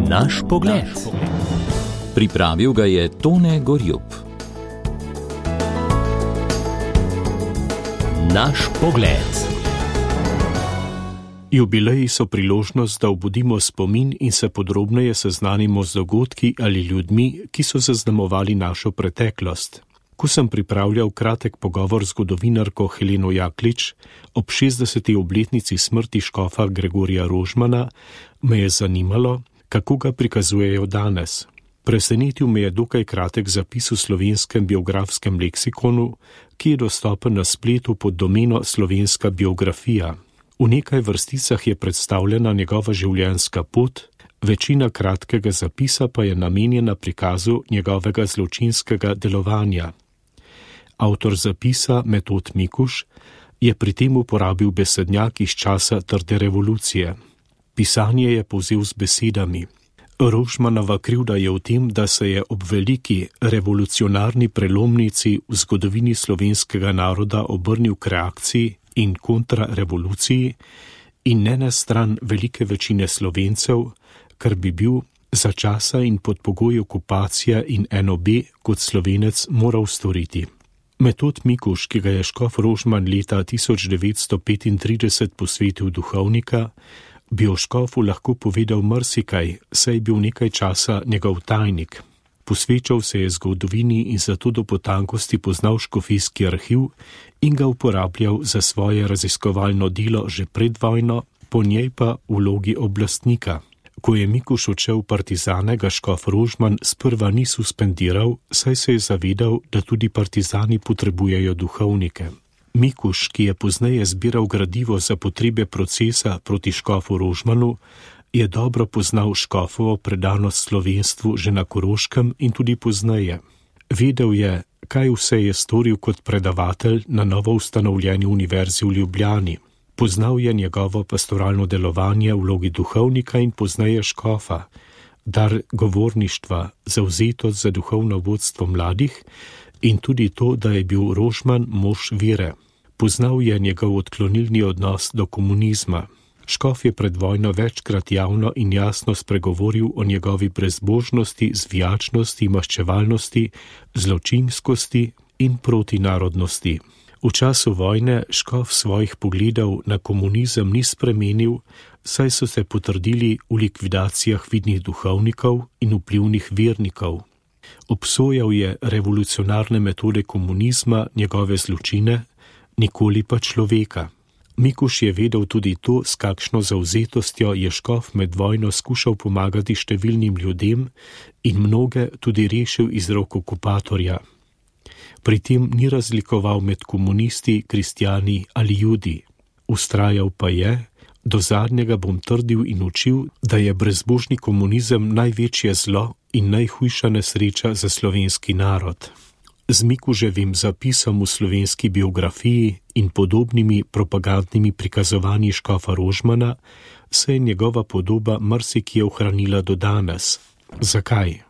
Naš pogled. Pripravil ga je Tone Gorjup. Naš pogled. Jubileji so priložnost, da obudimo spomin in se podrobneje seznanimo z dogodki ali ljudmi, ki so zaznamovali našo preteklost. Ko sem pripravljal kratek pogovor z zgodovinarko Heleno Jaklič ob 60. obletnici smrti škofa Gregorija Rožmana, me je zanimalo, kako ga prikazujejo danes. Presenetil me je dokaj kratek zapis v slovenskem biografskem leksikonu, ki je dostopen na spletu pod domeno Slovenska biografija. V nekaj vrsticah je predstavljena njegova življenjska pot, večina kratkega zapisa pa je namenjena prikazu njegovega zločinskega delovanja. Avtor zapisa, Metod Mikuž, je pri tem uporabil besednjak iz časa trde revolucije. Pisanje je povzel z besedami: Rožmanova krivda je v tem, da se je ob veliki revolucionarni prelomnici v zgodovini slovenskega naroda obrnil k reakciji in kontrarevoluciji in ne na stran velike večine Slovencev, kar bi bil za časa in pod pogoji okupacije in NOB kot Slovenec moral storiti. Metod Mikuž, ki ga je škof Rožman leta 1935 posvetil duhovnika, bi o škofu lahko povedal marsikaj, saj je bil nekaj časa njegov tajnik. Posvečal se je zgodovini in zato do potankosti poznal škofijski arhiv in ga uporabljal za svoje raziskovalno delo že pred vojno, po njej pa v vlogi oblastnika. Ko je Mikuž odšel v partizane, ga škof Rožman sprva ni suspendiral, saj se je zavedal, da tudi partizani potrebujejo duhovnike. Mikuž, ki je pozneje zbiral gradivo za potrebe procesa proti škofu Rožmanu, je dobro poznal škofovo predanost slovenstvu že na Koroškem in tudi pozneje. Vedel je, kaj vse je storil kot predavatelj na novo ustanovljeni univerzi v Ljubljani. Poznal je njegovo pastoralno delovanje v vlogi duhovnika in pozneje škofa, dar govorništva, zavzetost za duhovno vodstvo mladih in tudi to, da je bil Rožman mož vere. Poznal je njegov odklonilni odnos do komunizma. Škof je pred vojno večkrat javno in jasno spregovoril o njegovi brezbožnosti, zvijačnosti, maščevalnosti, zločinskosti in protinarodnosti. V času vojne škof svojih pogledov na komunizem ni spremenil, saj so se potrdili v likvidacijah vidnih duhovnikov in vplivnih vernikov. Obsojal je revolucionarne metode komunizma, njegove zločine, nikoli pa človeka. Mikuž je vedel tudi to, s kakšno zavzetostjo je škof med vojno skušal pomagati številnim ljudem in mnoge tudi rešil iz rok okupatorja. Pri tem ni razlikoval med komunisti, kristjani ali judi. Vztrajal pa je: do zadnjega bom trdil in učil, da je brezbožni komunizem največje zlo in najhujša nesreča za slovenski narod. Z Mikuževim zapisom v slovenski biografiji in podobnimi propagandnimi prikazovanji škofa Rožmana se je njegova podoba marsikje ohranila do danes. Zakaj?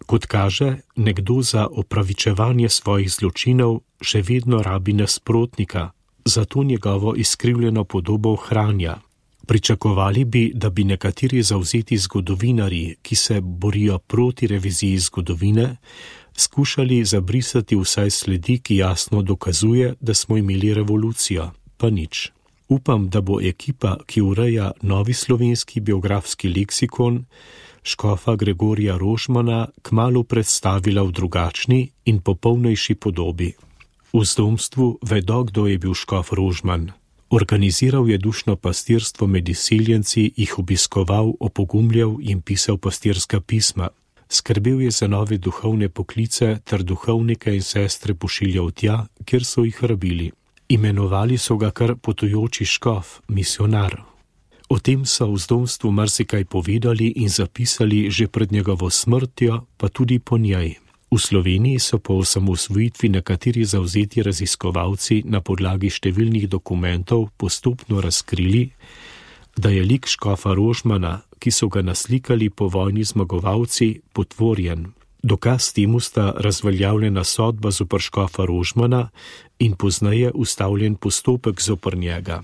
Kot kaže, nekdo za opravičevanje svojih zločinov še vedno rabi nasprotnika, zato njegovo izkrivljeno podobo ohranja. Pričakovali bi, da bi nekateri zavzeti zgodovinarji, ki se borijo proti reviziji zgodovine, skušali zabrisati vsaj sledi, ki jasno dokazuje, da smo imeli revolucijo, pa nič. Upam, da bo ekipa, ki ureja novi slovenski biografski leksikon, škofa Gregorija Rožmana kmalu predstavila v drugačni in popolnejši podobi. V zdomstvu vedo, kdo je bil škof Rožman. Organiziral je dušno pastirstvo med izseljenci, jih obiskoval, opogumljal in pisal pastirska pisma. Skrbel je za nove duhovne poklice ter duhovnike in sestre pošiljal tja, kjer so jih rabili. Imenovali so ga kar potujoči škof, misionar. O tem so v zdomstvu marsikaj povedali in zapisali že pred njegovo smrtjo, pa tudi po njej. V Sloveniji so po osamosvojitvi nekateri zavzeti raziskovalci na podlagi številnih dokumentov postopno razkrili, da je lik škofa Rožmana, ki so ga naslikali po vojni zmagovalci, potvorjen. Dokaz temu sta razveljavljena sodba zoper škofa Rožmana in pozneje ustavljen postopek zoper njega.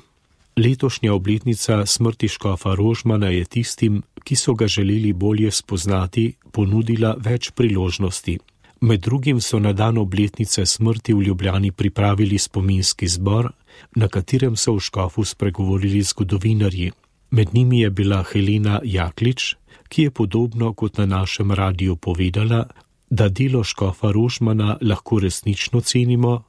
Letošnja obletnica smrti škofa Rožmana je tistim, ki so ga želeli bolje spoznati, ponudila več priložnosti. Med drugim so na dan obletnice smrti v Ljubljani pripravili spominski zbor, na katerem so v škofu spregovorili zgodovinarji. Med njimi je bila Helena Jaklič, ki je podobno kot na našem radiju povedala, da delo škofa Rožmana lahko resnično cenimo,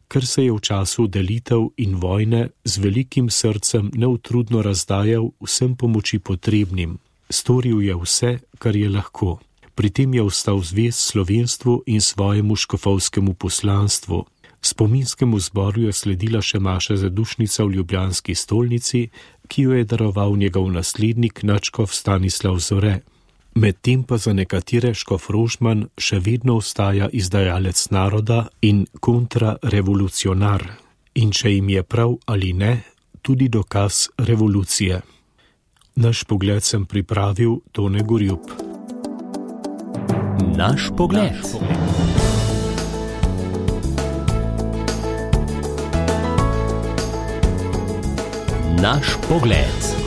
ker se je v času delitev in vojne z velikim srcem neutrudno razdajal vsem pomoči potrebnim. Storil je vse, kar je lahko. Pri tem je ostal zvest slovenstvu in svojemu škofovskemu poslanstvu. Spominskemu zboru je sledila še maša zadušnica v ljubljanski stolnici, ki jo je daroval njegov naslednik nadškof Stanislav Zore. Medtem pa za nekatere škof Rožman še vedno ostaja izdajalec naroda in kontrarevolucionar. In če jim je prav ali ne, tudi dokaz revolucije. Naš pogled sem pripravil Tone Gorjup. Naš pogled. Naš pogled.